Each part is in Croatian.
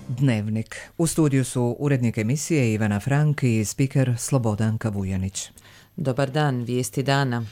Dnevnik. U studiju su urednik emisije Ivana Frank i spiker Slobodanka Vujanić. Dobar dan, vijesti dana.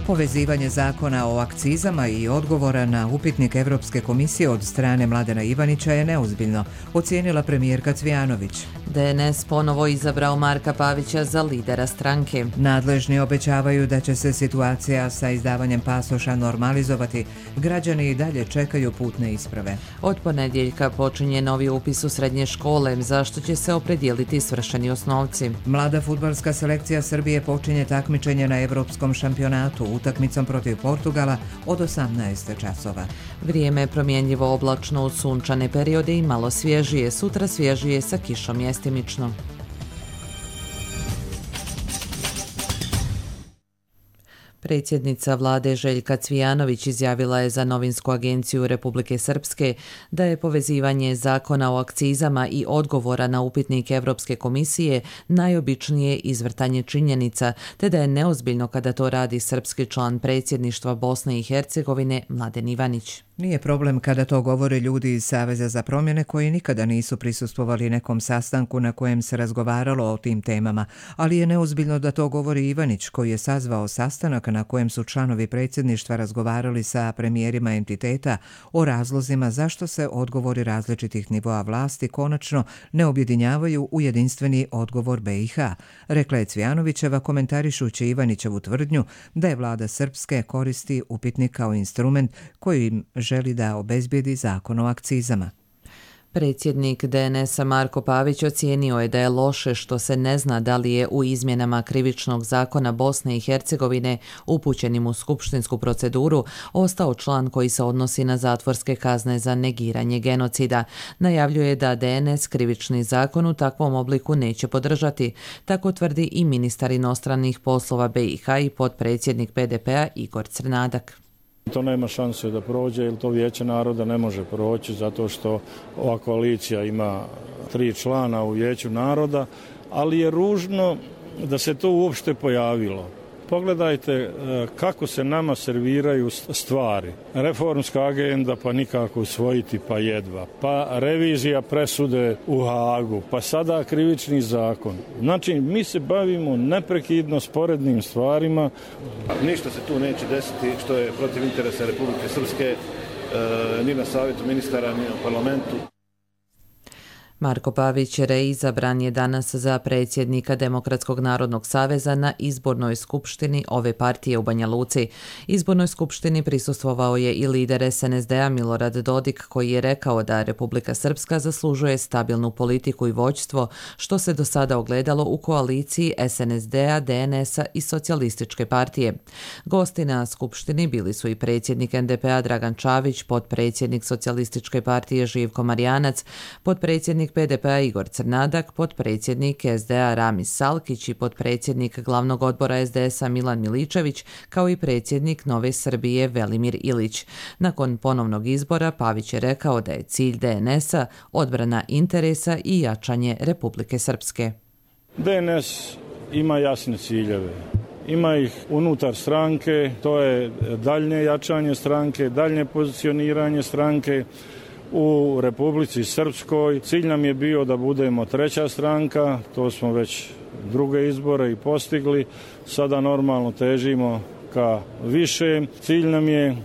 Povezivanje zakona o akcizama i odgovora na upitnik Evropske komisije od strane Mladena Ivanića je neozbiljno, ocijenila premijerka Cvijanović. DNS ponovo izabrao Marka Pavića za lidera stranke. Nadležni obećavaju da će se situacija sa izdavanjem pasoša normalizovati. Građani i dalje čekaju putne isprave. Od ponedjeljka počinje novi upis u srednje škole, zašto će se opredijeliti svršeni osnovci. Mlada fudbalska selekcija Srbije počinje takmičenje na Evropskom šampionatu utakmicom protiv Portugala od 18 časova. Vrijeme je promjenjivo oblačno u sunčane periode i malo svježije, sutra svježije sa kišom mjestimično. Predsjednica vlade Željka Cvijanović izjavila je za novinsku agenciju Republike Srpske da je povezivanje zakona o akcizama i odgovora na upitnik Evropske komisije najobičnije izvrtanje činjenica, te da je neozbiljno kada to radi srpski član predsjedništva Bosne i Hercegovine Mladen Ivanić. Nije problem kada to govore ljudi iz Saveza za promjene koji nikada nisu prisustvovali nekom sastanku na kojem se razgovaralo o tim temama, ali je neozbiljno da to govori Ivanić koji je sazvao sastanak na kojem su članovi predsjedništva razgovarali sa premijerima entiteta o razlozima zašto se odgovori različitih nivoa vlasti konačno ne objedinjavaju u jedinstveni odgovor BiH, rekla je Cvijanovićeva komentarišući Ivanićevu tvrdnju da je vlada Srpske koristi upitnik kao instrument koji im želi da obezbijedi zakon o akcizama. Predsjednik DNS-a Marko Pavić ocijenio je da je loše što se ne zna da li je u izmjenama krivičnog zakona Bosne i Hercegovine upućenim u skupštinsku proceduru ostao član koji se odnosi na zatvorske kazne za negiranje genocida. Najavljuje da DNS krivični zakon u takvom obliku neće podržati. Tako tvrdi i ministar inostranih poslova BiH i potpredsjednik PDP-a Igor Crnadak. To nema šanse da prođe, jer to Vijeće naroda ne može proći zato što ova koalicija ima 3 člana u Vijeću naroda, ali je ružno da se to uopšte pojavilo. Pogledajte kako se nama serviraju stvari. Reformska agenda pa nikako usvojiti pa jedva. Pa revizija presude u Hagu. Pa sada krivični zakon. Znači mi se bavimo neprekidno sporednim stvarima. Ništa se tu neće desiti što je protiv interesa Republike Srpske ni na savjetu ministara ni na parlamentu. Marko Pavić reizabran je danas za predsjednika Demokratskog narodnog saveza na izbornoj skupštini ove partije u Banja Luci. Izbornoj skupštini prisustvovao je i lider SNSD-a Milorad Dodik koji je rekao da Republika Srpska zaslužuje stabilnu politiku i vođstvo što se do sada ogledalo u koaliciji SNSD-a, DNS-a i Socijalističke partije. Gosti na skupštini bili su i predsjednik NDP-a Dragan Čavić, potpredsjednik Socijalističke partije Živko Marjanac, potpredsjednik PDP-a Igor Crnadak, potpredsjednik SDA Ramis Salkić i potpredsjednik glavnog odbora SDS-a Milan Miličević, kao i predsjednik Nove Srbije Velimir Ilić. Nakon ponovnog izbora Pavić je rekao da je cilj DNS-a odbrana interesa i jačanje Republike Srpske. DNS ima jasne ciljeve. Ima ih unutar stranke, to je daljnje jačanje stranke, daljnje pozicioniranje stranke u Republici Srpskoj. Cilj nam je bio da budemo 3. stranka, to smo već druge izbore i postigli. Sada normalno težimo ka više. Cilj nam je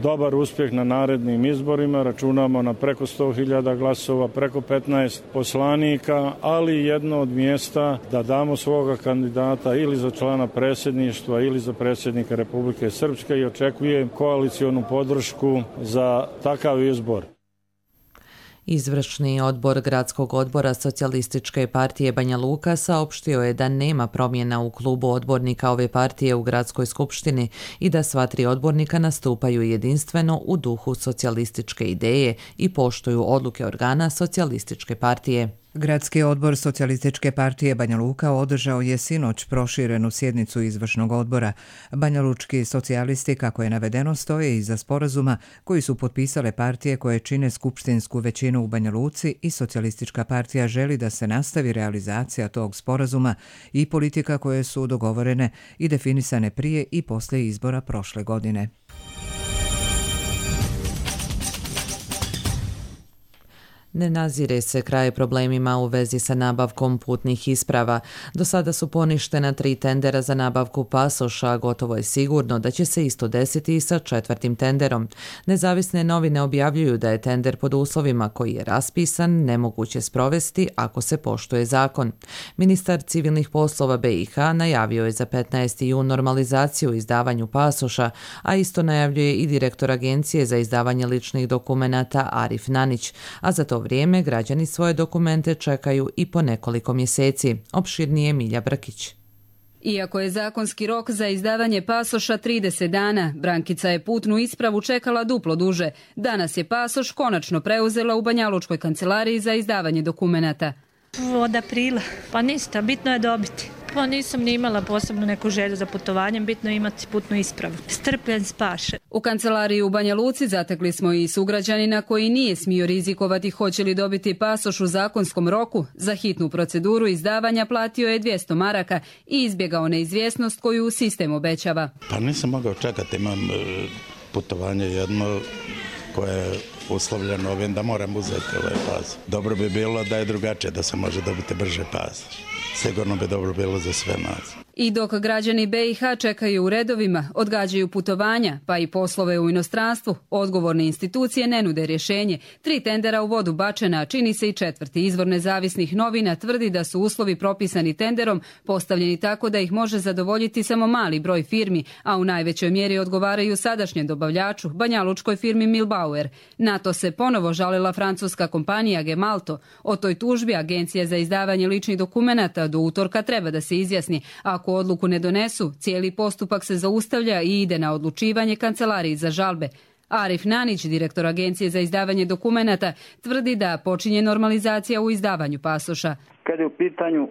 dobar uspjeh na narednim izborima, računamo na preko 100.000 glasova, preko 15 poslanika, ali jedno od mjesta da damo svoga kandidata ili za člana predsjedništva ili za predsjednika Republike Srpske i očekujem koalicionu podršku za takav izbor. Izvršni odbor Gradskog odbora Socijalističke partije Banja Luka saopštio je da nema promjena u klubu odbornika ove partije u Gradskoj skupštini i da sva 3 odbornika nastupaju jedinstveno u duhu socijalističke ideje i poštuju odluke organa Socijalističke partije. Gradski odbor Socijalističke partije Banja Luka održao je sinoć proširenu sjednicu izvršnog odbora. Banjalučki socijalisti, kako je navedeno, stoje iza sporazuma koji su potpisale partije koje čine skupštinsku većinu u Banja Luci i Socijalistička partija želi da se nastavi realizacija tog sporazuma i politika koje su dogovorene i definisane prije i poslije izbora prošle godine. Ne nazire se kraj problemima u vezi sa nabavkom putnih isprava. Do sada su poništena 3 tendera za nabavku pasoša, gotovo je sigurno da će se isto desiti i sa 4. tenderom. Nezavisne novine objavljuju da je tender pod uslovima koji je raspisan nemoguće sprovesti ako se poštuje zakon. Ministar civilnih poslova BiH najavio je za 15. jun normalizaciju u izdavanju pasoša, a isto najavljuje i direktor Agencije za izdavanje ličnih dokumenata Arif Nanić, a za to vrijeme građani svoje dokumente čekaju i po nekoliko mjeseci. Opširnije Milja Brkić. Iako je zakonski rok za izdavanje pasoša 30 dana, Brankica je putnu ispravu čekala duplo duže. Danas je pasoš konačno preuzela u Banjalučkoj kancelariji za izdavanje dokumenata. Od aprila. Pa ništa, bitno je dobiti. Pa nisam ni imala posebno neku želju za putovanjem, bitno je imati putnu ispravu. Strpljen spaše. U kancelariji u Banja Luci zatekli smo i sugrađanina koji nije smio rizikovati hoće li dobiti pasoš u zakonskom roku. Za hitnu proceduru izdavanja platio je 200 maraka i izbjegao neizvjesnost koju sistem obećava. Pa nisam mogao čekati, imam putovanje jedno koje je uslovljeno ovim da moram uzeti ovaj pas. Dobro bi bilo da je drugačije, da se može dobiti brže pas. Sigurno bi dobro bilo za sve nas. I dok građani BiH čekaju u redovima, odgađaju putovanja, pa i poslove u inostranstvu, odgovorne institucije ne nude rješenje. 3 tendera u vodu bačena, a čini se i 4. Izvor nezavisnih novina tvrdi da su uslovi propisani tenderom postavljeni tako da ih može zadovoljiti samo mali broj firmi, a u najvećoj mjeri odgovaraju sadašnjem dobavljaču, banjalučkoj firmi Milbauer. Na to se ponovo žalila francuska kompanija Gemalto. O toj tužbi Agencija za izdavanje ličnih dokumenata do utorka treba da se izjasni. Ako odluku ne donesu, cijeli postupak se zaustavlja i ide na odlučivanje kancelariji za žalbe. Arif Nanić, direktor Agencije za izdavanje dokumenata, tvrdi da počinje normalizacija u izdavanju pasoša. Kad je u pitanju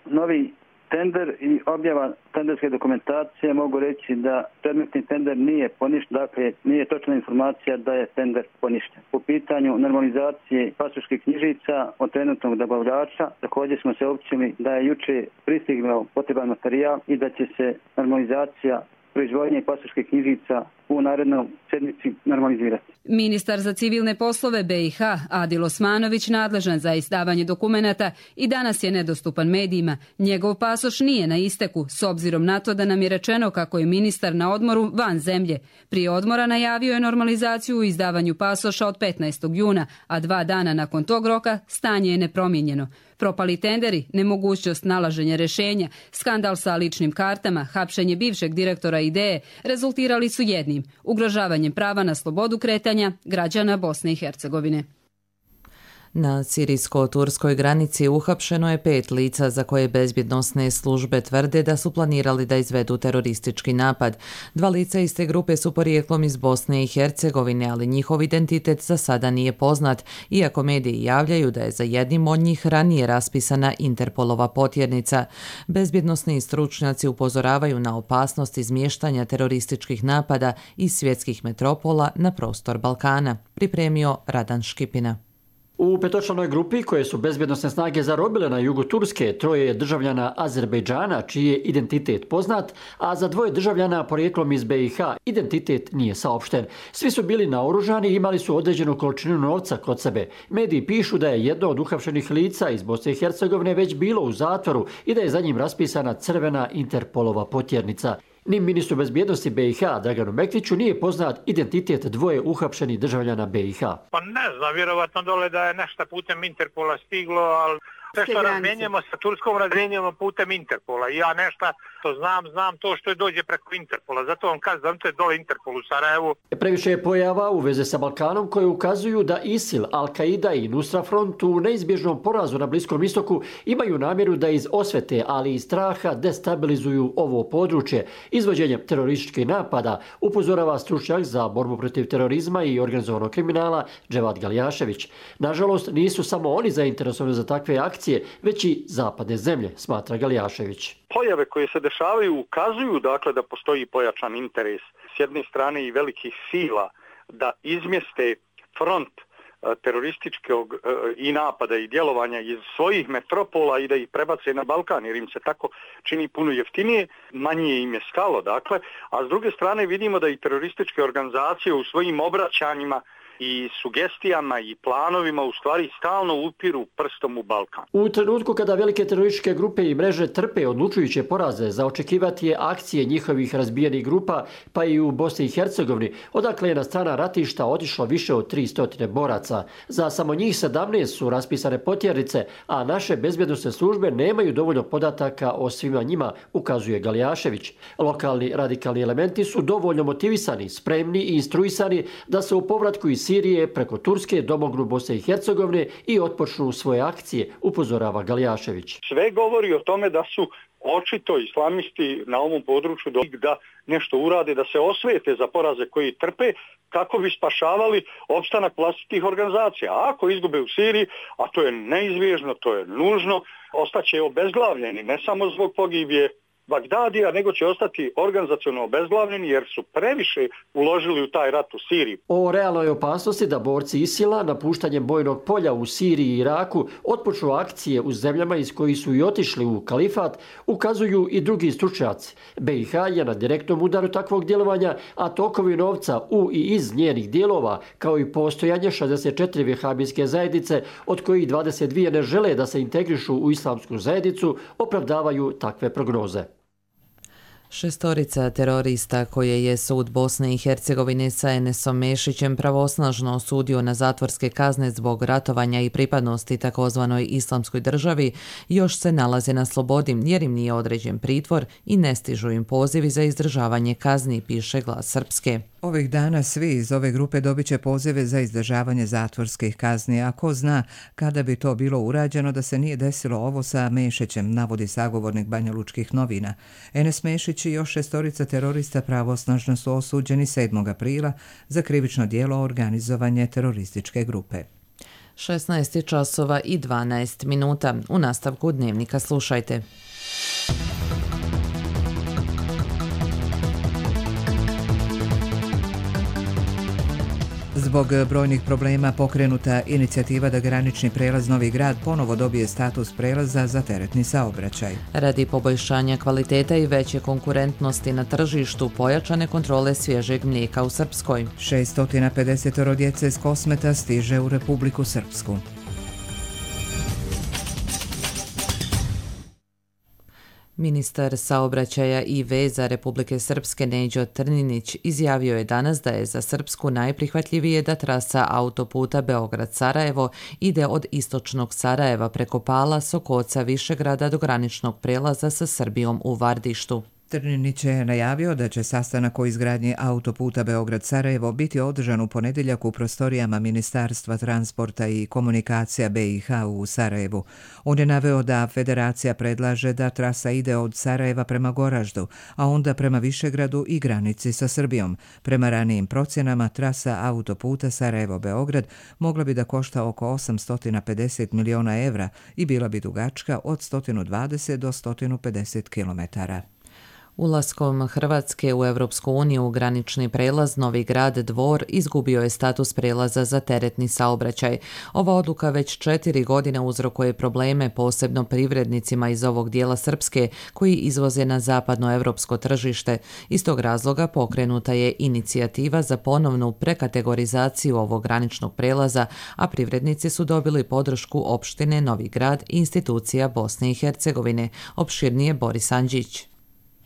novi tender i objava tenderske dokumentacije, mogu reći da predmetni tender nije poništen, dakle nije točna informacija da je tender poništen. U pitanju normalizacije pasoških knjižica od trenutnog dobavljača, također smo se općili da je juče pristigao potreban materijal i da će se normalizacija proizvodnje pasoških knjižica u narednoj sedmici normalizirati. Ministar za civilne poslove BiH Adil Osmanović, nadležan za izdavanje dokumenata, i danas je nedostupan medijima. Njegov pasoš nije na isteku, s obzirom na to da nam je rečeno kako je ministar na odmoru van zemlje. Prije odmora najavio je normalizaciju u izdavanju pasoša od 15. juna, a 2 dana nakon tog roka stanje je nepromijenjeno. Propali tenderi, nemogućnost nalaženja rješenja, skandal sa ličnim kartama, hapšenje bivšeg direktora IDEE rezultirali su jednim: ugrožavanjem prava na slobodu kretanja građana Bosne i Hercegovine. Na sirijsko-turskoj granici uhapšeno je 5 lica za koje bezbjednosne službe tvrde da su planirali da izvedu teroristički napad. 2 lica iz te grupe su porijeklom iz Bosne i Hercegovine, ali njihov identitet za sada nije poznat, iako mediji javljaju da je za jednim od njih ranije raspisana Interpolova potjernica. Bezbjednosni stručnjaci upozoravaju na opasnost izmještanja terorističkih napada iz svjetskih metropola na prostor Balkana. Pripremio Radan Škipina. U petočlanoj grupi koje su bezbjednosne snage zarobile na jugu Turske, 3 je državljana Azerbejdžana čiji je identitet poznat, a za 2 državljana porijeklom iz BiH identitet nije saopšten. Svi su bili naoružani i imali su određenu količinu novca kod sebe. Mediji pišu da je jedno od uhapšenih lica iz Bosne i Hercegovine već bilo u zatvoru i da je za njim raspisana crvena Interpolova potjernica. Ni ministru bezbjednosti BiH Draganu Mektiću nije poznat identitet 2 uhapšenih državljana BiH. Pa ne znam, vjerovatno dole da je nešto putem Interpola stiglo, ali sve što razmjenjujemo sa Turskom razmjenjujemo putem Interpola. I ja nešto to znam to što je dođe preko Interpola. Zato vam kažem da to je dole Interpol u Sarajevu. Previše je pojava u veze sa Balkanom koje ukazuju da ISIL, Al-Qaida i Nusra Front u neizbježnom porazu na Bliskom istoku imaju namjeru da iz osvete, ali i straha destabilizuju ovo područje. Izvođenjem terorističkih napada upozorava stručnjak za borbu protiv terorizma i organizovanog kriminala Dževad Galjašević. Nažalost, nisu samo oni zainteresovani za takve akcije, već i zapadne zemlje, smatra Galjašević. Pojave koje se dešavaju ukazuju dakle da postoji pojačan interes s jedne strane i velikih sila da izmjeste front terorističkog i napada i djelovanja iz svojih metropola i da ih prebace na Balkan, jer im se tako čini puno jeftinije, manje im je stalo, dakle, a s druge strane vidimo da i terorističke organizacije u svojim obraćanjima i sugestijama i planovima u stvari stalno upiru prstom u Balkan. U trenutku kada velike terorističke grupe i mreže trpe odlučujuće poraze, za očekivati je akcije njihovih razbijenih grupa, pa i u Bosni i Hercegovini, odakle je na strana ratišta otišlo više od 300 boraca. Za samo njih 17 su raspisane potjernice, a naše bezbjednosne službe nemaju dovoljno podataka o svima njima, ukazuje Galjašević. Lokalni radikalni elementi su dovoljno motivisani, spremni i instruisani da se u povratku iz Sirije preko Turske domognu Bosne i Hercegovine i otpočnu svoje akcije, upozorava Galjašević. Sve govori o tome da su očito islamisti na ovom području da nešto urade, da se osvete za poraze koji trpe kako bi spašavali opstanak vlastitih organizacija. A ako izgube u Siriji, a to je neizbježno, to je nužno, ostaće obezglavljeni, ne samo zbog pogibije Bagdadija, nego će ostati organizacionalno obezglavljeni jer su previše uložili u taj rat u Siriji. O realnoj opasnosti da borci ISIL-a napuštanjem bojnog polja u Siriji i Iraku otpočnu akcije u zemljama iz kojih su i otišli u kalifat ukazuju i drugi stručnjaci. BiH je na direktnom udaru takvog djelovanja, a tokovi novca u i iz njenih dijelova, kao i postojanje 64 vehabijske zajednice, od kojih 22 ne žele da se integrišu u islamsku zajednicu, opravdavaju takve prognoze. 6 terorista koje je sud Bosne i Hercegovine sa Enesom Mešićem pravosnažno osudio na zatvorske kazne zbog ratovanja i pripadnosti takozvanoj islamskoj državi još se nalaze na slobodi jer im nije određen pritvor i ne stižu im pozivi za izdržavanje kazni, piše Glas Srpske. Ovih dana svi iz ove grupe dobit će pozive za izdržavanje zatvorskih kazni, a ko zna kada bi to bilo urađeno da se nije desilo ovo sa Mešićem, navodi sagovornik Banjalučkih novina. Enes Mešić i još 6 terorista pravosnažno su osuđeni 7. aprila za krivično djelo organizovanje terorističke grupe. 16 časova i 12 minuta. U nastavku dnevnika slušajte. Zbog brojnih problema pokrenuta inicijativa da granični prelaz Novi Grad ponovo dobije status prelaza za teretni saobraćaj. Radi poboljšanja kvaliteta i veće konkurentnosti na tržištu, pojačane kontrole svježeg mlijeka u Srpskoj. 650 djece s Kosmeta stiže u Republiku Srpsku. Ministar saobraćaja i veza Republike Srpske Neđo Trninić izjavio je danas da je za Srpsku najprihvatljivije da trasa autoputa Beograd-Sarajevo ide od istočnog Sarajeva preko Pala, Sokoca, Višegrada do graničnog prelaza sa Srbijom u Vardištu. Trninić je najavio da će sastanak o izgradnji autoputa Beograd-Sarajevo biti održan u ponedjeljak u prostorijama Ministarstva transporta i komunikacija BiH u Sarajevu. On je naveo da Federacija predlaže da trasa ide od Sarajeva prema Goraždu, a onda prema Višegradu i granici sa Srbijom. Prema ranijim procjenama, trasa autoputa Sarajevo-Beograd mogla bi da košta oko 850 miliona evra i bila bi dugačka od 120 do 150 kilometara. Ulaskom Hrvatske u Europsku uniju granični prelaz Novi Grad Dvor izgubio je status prelaza za teretni saobraćaj. Ova odluka već 4 godine uzrokuje probleme posebno privrednicima iz ovog dijela Srpske koji izvoze na zapadno europsko tržište. Iz tog razloga pokrenuta je inicijativa za ponovnu prekategorizaciju ovog graničnog prelaza, a privrednici su dobili podršku opštine Novi Grad i institucija Bosne i Hercegovine. Opširnije Boris Andžić.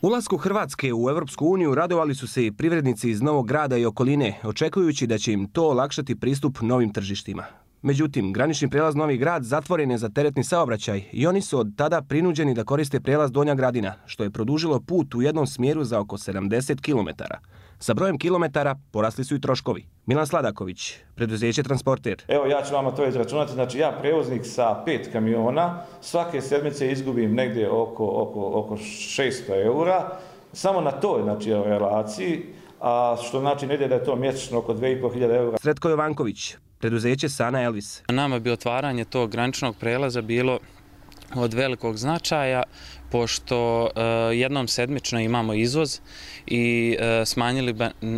Ulasku Hrvatske u Europsku uniju radovali su se i privrednici iz Novog Grada i okoline, očekujući da će im to olakšati pristup novim tržištima. Međutim, granični prijelaz Novi Grad zatvoren je za teretni saobraćaj i oni su od tada prinuđeni da koriste prijelaz Donja Gradina, što je produžilo put u jednom smjeru za oko 70 km. Sa brojem kilometara porasli su i troškovi. Milan Sladaković, preduzeće Transporter. Evo ja ću vama to izračunati, znači ja prevoznik sa 5 kamiona, svake sedmice izgubim negdje oko 600 eura, samo na toj relaciji, a što znači negdje da je to mjesečno oko 2500 eura. Sretko Jovanković, preduzeće Sana Elvis. Nama bi otvaranje tog graničnog prelaza bilo od velikog značaja, pošto jednom sedmično imamo izvoz i smanjili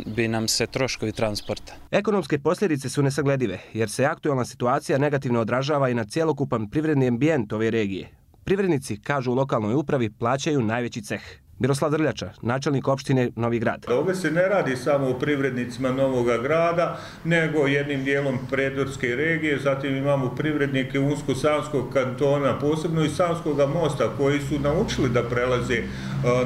bi nam se troškovi transporta. Ekonomske posljedice su nesagledive, jer se aktualna situacija negativno odražava i na cjelokupan privredni ambijent ove regije. Privrednici, kažu u lokalnoj upravi, plaćaju najveći ceh. Miroslav Drljača, načelnik opštine Novi Grad. Ovdje se ne radi samo o privrednicima Novoga Grada, nego jednim dijelom predorske regije, zatim imamo privrednike Unsko-Sanskog kantona, posebno i Sanskog mosta, koji su naučili da prelaze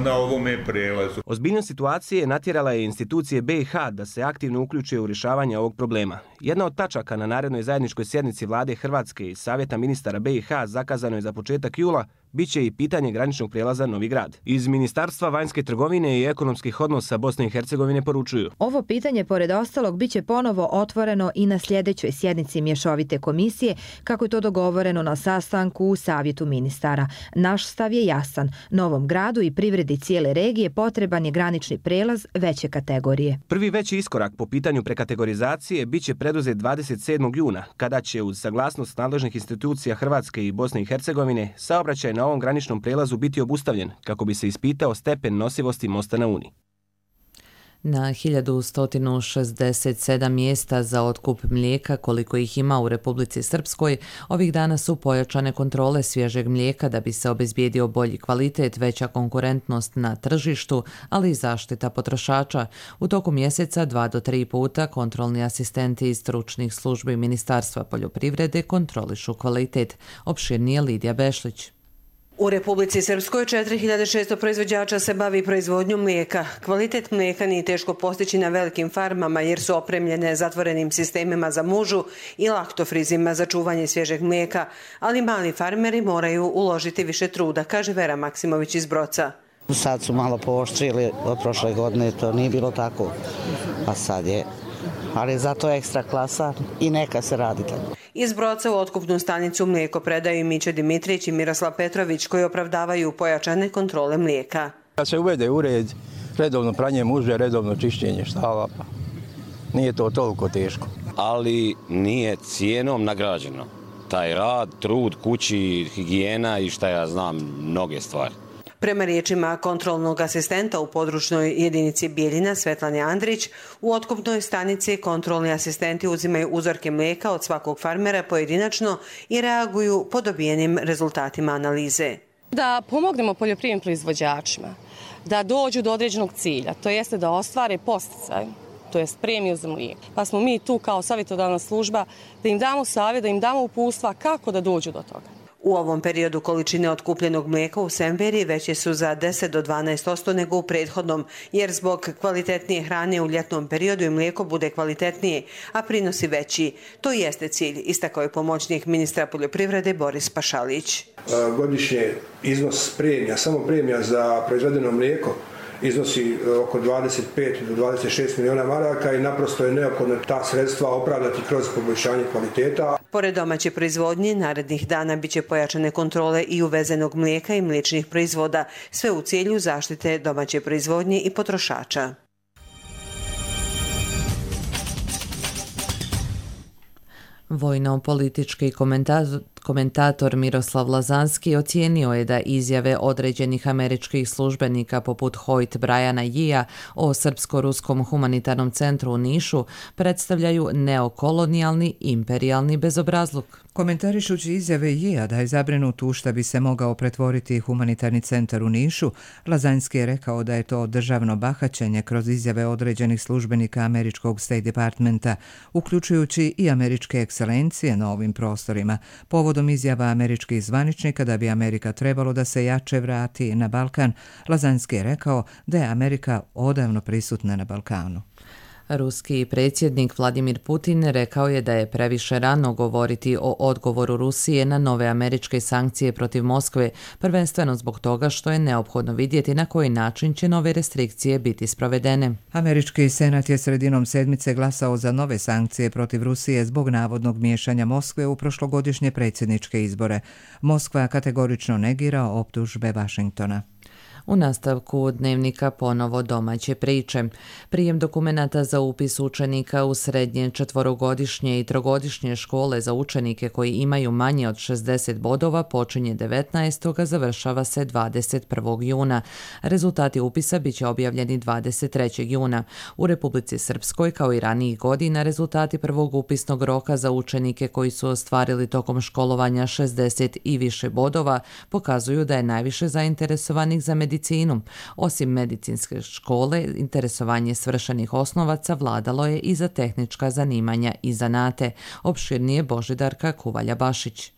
na ovome prelazu. Ozbiljnost situacije natjerala je institucije BiH da se aktivno uključe u rješavanje ovog problema. Jedna od tačaka na narednoj zajedničkoj sjednici vlade Hrvatske i Savjeta ministara BiH zakazano je za početak jula, biće i pitanje graničnog prijelaza Novi Grad. Iz Ministarstva vanjske trgovine i ekonomskih odnosa Bosne i Hercegovine poručuju: ovo pitanje, pored ostalog, biće ponovo otvoreno i na sljedećoj sjednici mješovite komisije, kako je to dogovoreno na sastanku u Savjetu ministara. Naš stav je jasan. Novom Gradu i privredi cijele regije potreban je granični prijelaz veće kategorije. Prvi veći iskorak po pitanju prekategorizacije biće preduzet 27. juna, kada će uz saglasnost nadležnih institucija Hrvatske i Bosne i Hercegovine saobraćaj na ovom graničnom prijelazu biti obustavljen, kako bi se ispitao stepen nosivosti mosta na Uni. Na 1167 mjesta za otkup mlijeka, koliko ih ima u Republici Srpskoj, ovih dana su pojačane kontrole svježeg mlijeka da bi se obezbijedio bolji kvalitet, veća konkurentnost na tržištu, ali i zaštita potrošača. U toku mjeseca 2 do 3 puta kontrolni asistenti iz stručnih službi Ministarstva poljoprivrede kontrolišu kvalitet. Opširnije Lidija Bešlić. U Republici Srpskoj 4600 proizvođača se bavi proizvodnjom mlijeka. Kvalitet mlijeka nije teško postići na velikim farmama jer su opremljene zatvorenim sistemima za mužu i laktofrizima za čuvanje svježeg mlijeka, ali mali farmeri moraju uložiti više truda, kaže Vera Maksimović iz Broca. Sad su malo pooštrili, od prošle godine to nije bilo tako, a sad je. Ali zato je ekstra klasa i neka se radi tako. Iz Broca u otkupnu stanicu mlijeko predaju i Miće Dimitrić i Miroslav Petrović, koji opravdavaju pojačane kontrole mlijeka. Kad se uvede u red, redovno pranje muže, redovno čišćenje štala, pa nije to toliko teško. Ali nije cijenom nagrađeno. Taj rad, trud, kući, higijena i šta ja znam, mnoge stvari. Prema riječima kontrolnog asistenta u područnoj jedinici Bijeljina Svetlane Andrić, u otkupnoj stanici kontrolni asistenti uzimaju uzorke mlijeka od svakog farmera pojedinačno i reaguju po dobijenim rezultatima analize. Da pomognemo poljoprivrednim proizvođačima da dođu do određenog cilja, to jeste da ostvare podsticaj, to jest premiju za mlijeko. Pa smo mi tu kao savjetodavna služba da im damo savjet, da im damo uputstva kako da dođu do toga. U ovom periodu količine otkupljenog mlijeka u Semberi veće su za 10 do 12% nego u prethodnom, jer zbog kvalitetnije hrane u ljetnom periodu i mlijeko bude kvalitetnije, a prinosi veći. To jeste cilj, istakao je pomoćnik ministra poljoprivrede Boris Pašalić. Godišnje iznos premija, samo premija za proizvedeno mlijeko, iznosi oko 25 do 26 milijuna maraka i naprosto je neophodno ta sredstva opravdati kroz poboljšanje kvaliteta. Pored domaće proizvodnje, narednih dana biće pojačane kontrole i uvezenog mlijeka i mliječnih proizvoda, sve u cilju zaštite domaće proizvodnje i potrošača. Vojno-politički komentator Miroslav Lazanski ocijenio je da izjave određenih američkih službenika poput Hoyt Briana Yea o Srpsko-ruskom humanitarnom centru u Nišu predstavljaju neokolonijalni imperijalni bezobrazluk. Komentarišući izjave Yea da je zabrinut u šta bi se mogao pretvoriti humanitarni centar u Nišu, Lazanski je rekao da je to državno bahaćenje kroz izjave određenih službenika američkog State Departmenta, uključujući i američke ekscelencije na ovim prostorima, povodom izjava američkih zvaničnika da bi Amerika trebalo da se jače vrati na Balkan. Lazanski je rekao da je Amerika odavno prisutna na Balkanu. Ruski predsjednik Vladimir Putin rekao je da je previše rano govoriti o odgovoru Rusije na nove američke sankcije protiv Moskve, prvenstveno zbog toga što je neophodno vidjeti na koji način će nove restrikcije biti sprovedene. Američki senat je sredinom sedmice glasao za nove sankcije protiv Rusije zbog navodnog miješanja Moskve u prošlogodišnje predsjedničke izbore. Moskva kategorično negira optužbe Vašingtona. U nastavku dnevnika ponovo domaće priče. Prijem dokumenata za upis učenika u srednje četvorogodišnje i trogodišnje škole za učenike koji imaju manje od 60 bodova počinje 19. a završava se 21. juna. Rezultati upisa biće objavljeni 23. juna. U Republici Srpskoj, kao i ranijih godina, rezultati prvog upisnog roka za učenike koji su ostvarili tokom školovanja 60 i više bodova pokazuju da je najviše zainteresovanih za medicinu. Osim medicinske škole, interesovanje svršenih osnovaca vladalo je i za tehnička zanimanja i zanate. Opširnije Božidarka Kuvalja-Bašić.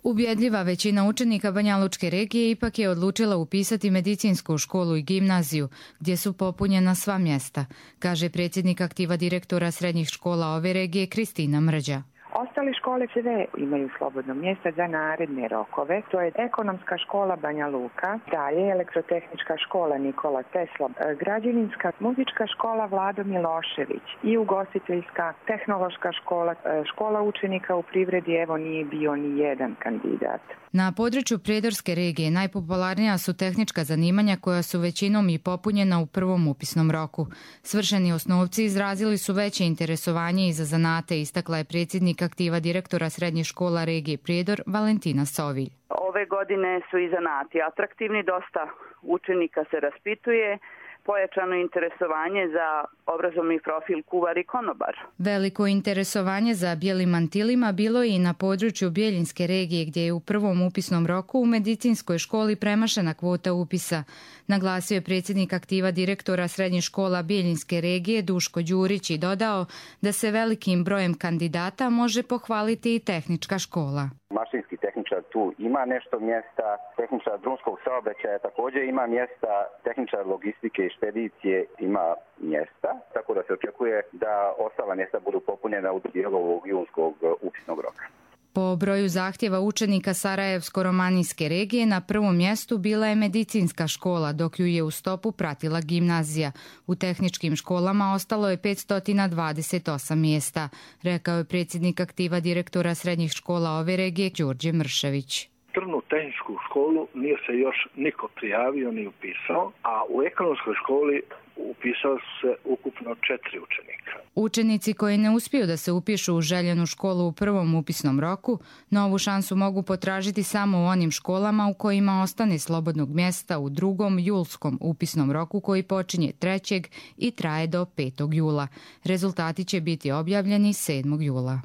Ubjedljiva većina učenika Banjalučke regije ipak je odlučila upisati medicinsku školu i gimnaziju, gdje su popunjena sva mjesta, kaže predsjednik aktiva direktora srednjih škola ove regije Kristina Mrđa. Ostale škole sve imaju slobodno mjesto za naredne rokove. To je ekonomska škola Banja Luka, dalje elektrotehnička škola Nikola Tesla, građevinska muzička škola Vlado Milošević i ugostiteljska tehnološka škola, škola učenika u privredi, evo nije bio ni jedan kandidat. Na području Prijedorske regije najpopularnija su tehnička zanimanja koja su većinom i popunjena u prvom upisnom roku. Svršeni osnovci izrazili su veće interesovanje i za zanate, istakla je predsjednik aktiva direktora srednjih škola regije Prijedor Valentina Sovilj. Ove godine su i zanati atraktivni, dosta učenika se raspituje, pojačano interesovanje za obrazovni profil kuvar i konobar. Veliko interesovanje za bijelim mantilima bilo je i na području Bijeljinske regije, gdje je u prvom upisnom roku u medicinskoj školi premašena kvota upisa. Naglasio je predsjednik aktiva direktora srednjih škola Bijeljinske regije Duško Đurić i dodao da se velikim brojem kandidata može pohvaliti i tehnička škola. Mašinski tehničar tu ima nešto mjesta, tehničar drumskog saobraćaja također ima mjesta, tehničar logistike i špedicije ima mjesta, tako da se očekuje da ostala mjesta budu popunjena u dijelu ovog junskog upisnog roka. Po broju zahtjeva učenika Sarajevsko-romanijske regije na prvom mjestu bila je medicinska škola, dok ju je u stopu pratila gimnazija. U tehničkim školama ostalo je 528 mjesta, rekao je predsjednik aktiva direktora srednjih škola ove regije Đorđe Mršević. Drvnu tehničku školu nije se još niko prijavio ni upisao, a u ekonomskoj školi upisao se ukupno 4 učenika. Učenici koji ne uspiju da se upišu u željenu školu u prvom upisnom roku, novu šansu mogu potražiti samo u onim školama u kojima ostane slobodnog mjesta u drugom julskom upisnom roku koji počinje 3. i traje do 5. jula. Rezultati će biti objavljeni 7. jula.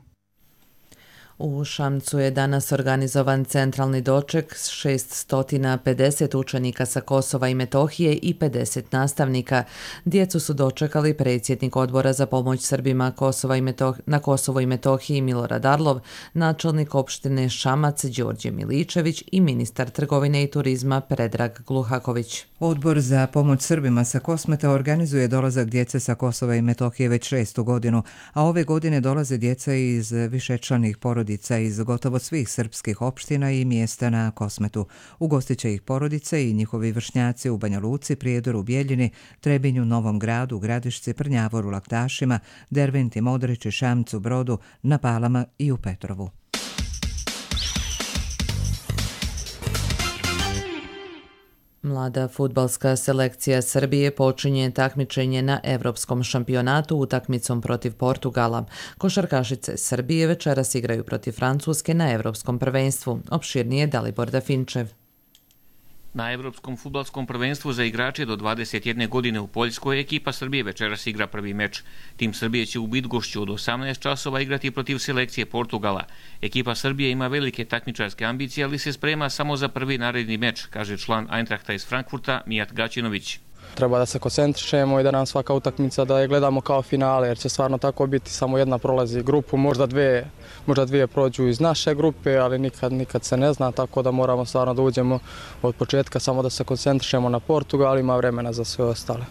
U Šamcu je danas organizovan centralni doček s 650 učenika sa Kosova i Metohije i 50 nastavnika. Djecu su dočekali predsjednik Odbora za pomoć Srbima na Kosovo i Metohiji Milorad Arlov, načelnik opštine Šamac Đorđe Miličević i ministar trgovine i turizma Predrag Gluhaković. Odbor za pomoć Srbima sa Kosmeta organizuje dolazak djece sa Kosova i Metohije već 6. godinu, a ove godine dolaze djeca iz višečlanih porodica iz gotovo svih srpskih opština i mjesta na Kosmetu. Ugostit će ih porodice i njihovi vršnjaci u Banja Luci, Prijedoru, Bijeljini, Trebinju, Novom Gradu, Gradišci, Prnjavoru, Laktašima, Derventi, Modriči, Šamcu, Brodu, na Palama i u Petrovu. Mlada fudbalska selekcija Srbije počinje takmičenje na Evropskom šampionatu utakmicom protiv Portugala. Košarkašice Srbije večeras igraju protiv Francuske na Evropskom prvenstvu. Opširnije Dalibor Dafinčev. Na Evropskom fudbalskom prvenstvu za igrače do 21 godine u Poljskoj ekipa Srbije večeras igra prvi meč. Tim Srbije će u Bydgošću od 18 časova igrati protiv selekcije Portugala. Ekipa Srbije ima velike takmičarske ambicije, ali se sprema samo za prvi naredni meč, kaže član Eintrachta iz Frankfurta Mijat Gaćinović. Treba da se koncentrišemo i da nam svaka utakmica da je gledamo kao finale, jer će stvarno tako biti, samo jedna prolazi grupu, možda dvije prođu iz naše grupe, ali nikad se ne zna, tako da moramo stvarno da uđemo od početka, samo da se koncentrišemo na Portugal, ima vremena za sve ostale.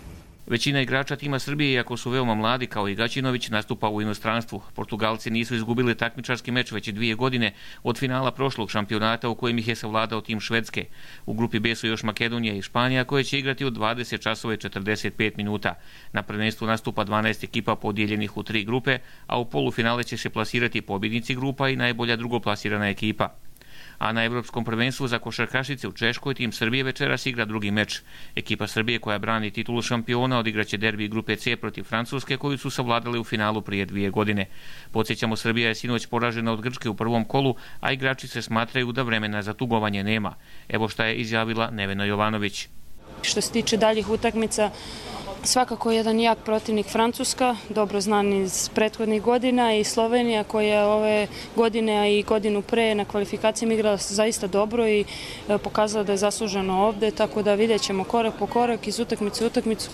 Većina igrača tima Srbije, iako su veoma mladi kao i Gaćinović, nastupa u inostranstvu. Portugalci nisu izgubili takmičarski meč već 2 godine od finala prošlog šampionata u kojem ih je savladao tim Švedske. U grupi B su još Makedonija i Španija koje će igrati u 20 časova i 45 minuta. Na prvenstvu nastupa 12 ekipa podijeljenih u 3 grupe, a u polufinale će se plasirati pobjednici grupa i najbolja drugoplasirana ekipa. A na Evropskom prvenstvu za košarkašice u Češkoj tim Srbije večeras igra drugi meč. Ekipa Srbije koja brani titulu šampiona odigraće derbi grupe C protiv Francuske koju su savladali u finalu prije 2 godine. Podsjećamo, Srbija je sinoć poražena od Grčke u prvom kolu, a igrači se smatraju da vremena za tugovanje nema. Evo šta je izjavila Nevena Jovanović. Što se tiče daljih utakmica, svakako jedan jak protivnik Francuska, dobro znan iz prethodnih godina, i Slovenija koja ove godine, a i godinu pre na kvalifikacijama igrala zaista dobro i pokazala da je zasluženo ovde, tako da vidjet ćemo korak po korak iz utakmice u utakmicu.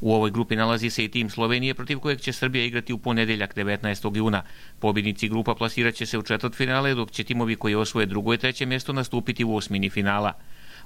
U ovoj grupi nalazi se i tim Slovenije protiv kojeg će Srbija igrati u ponedjeljak 19. juna. Pobjednici grupa plasirat će se u četvrtfinale, dok će timovi koji osvoje drugo i treće mjesto nastupiti u osmini finala.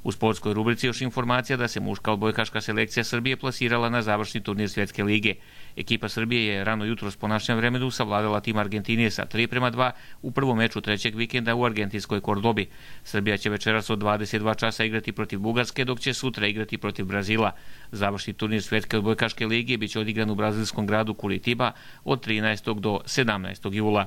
U sportskoj rubrici još informacija da se muška odbojkaška selekcija Srbije plasirala na završni turnir Svjetske lige. Ekipa Srbije je rano jutros po našem vremenu savladala tim Argentinije sa 3:2 u prvom meču trećeg vikenda u argentinskoj Kordobi. Srbija će večeras od 22 časa igrati protiv Bugarske, dok će sutra igrati protiv Brazila. Završni turnir Svjetske odbojkaške lige biće odigran u brazilskom gradu Curitiba od 13. do 17. jula.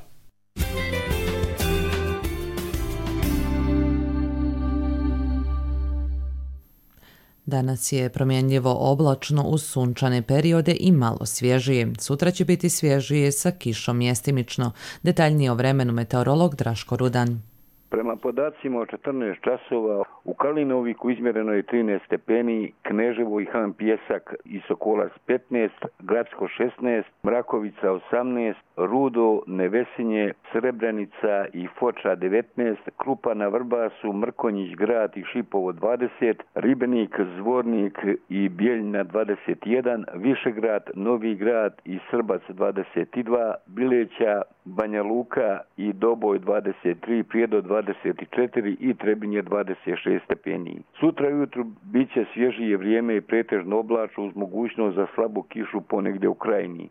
Danas je promjenljivo oblačno uz sunčane periode i malo svježije. Sutra će biti svježije sa kišom mjestimično. Detaljnije o vremenu meteorolog Draško Rudan. Prema podacima od 14 časova u Kalinoviku izmjereno je 13 stepeni, Kneževo i Han Pjesak i Sokolac 15, Gradsko 16, Mrakovica 18, Rudo, Nevesinje, Srebrenica i Foča 19, Krupa na Vrbasu, Mrkonjić grad i Šipovo 20, Ribenik, Zvornik i Bijeljina 21, Višegrad, Novi grad i Srbac 22, Bileća, Banja Luka i Doboj 23, Prijedor 24 i Trebinje 26 stepeni. Sutra ujutru bit će svježije vrijeme i pretežno oblačno uz mogućnost za slabu kišu ponegdje u krajini.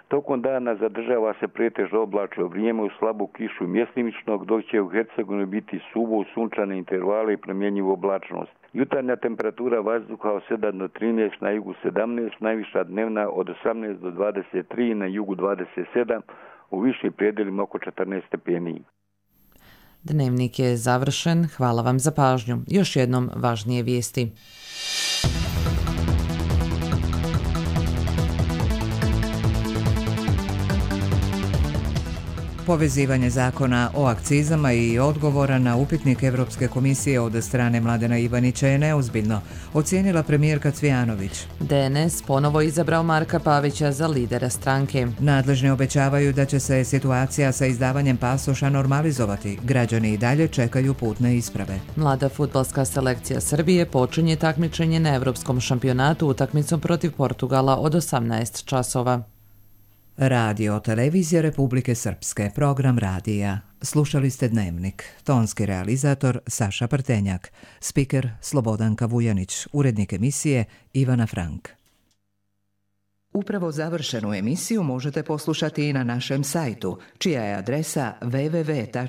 Tokom dana zadržava se pretežno oblačno vrijeme u slabu kišu mjestimičnog, dok će u Hercegovini biti suvo u sunčane intervale i promjenjivu oblačnost. Jutarnja temperatura vazduha od 7 do 13, na jugu 17, najviša dnevna od 18 do 23, na jugu 27, u višim predjelima oko 14 stepeni. Dnevnik je završen. Hvala vam za pažnju. Još jednom važnije vijesti. Povezivanje zakona o akcizama i odgovora na upitnik Evropske komisije od strane Mladena Ivanića je neozbiljno, ocijenila premijerka Cvijanović. DNS ponovo izabrao Marka Pavića za lidera stranke. Nadležni obećavaju da će se situacija sa izdavanjem pasoša normalizovati. Građani i dalje čekaju putne isprave. Mlada fudbalska selekcija Srbije počinje takmičenje na Evropskom šampionatu utakmicom protiv Portugala od 18 časova. Radio Televizija Republike Srpske, program radija. Slušali ste Dnevnik. Tonski realizator Saša Prtenjak, spiker Slobodanka Vujanić, urednik emisije Ivana Frank. Upravo završenu emisiju možete poslušati i na našem sajtu, čija je adresa www.rtrs.tv.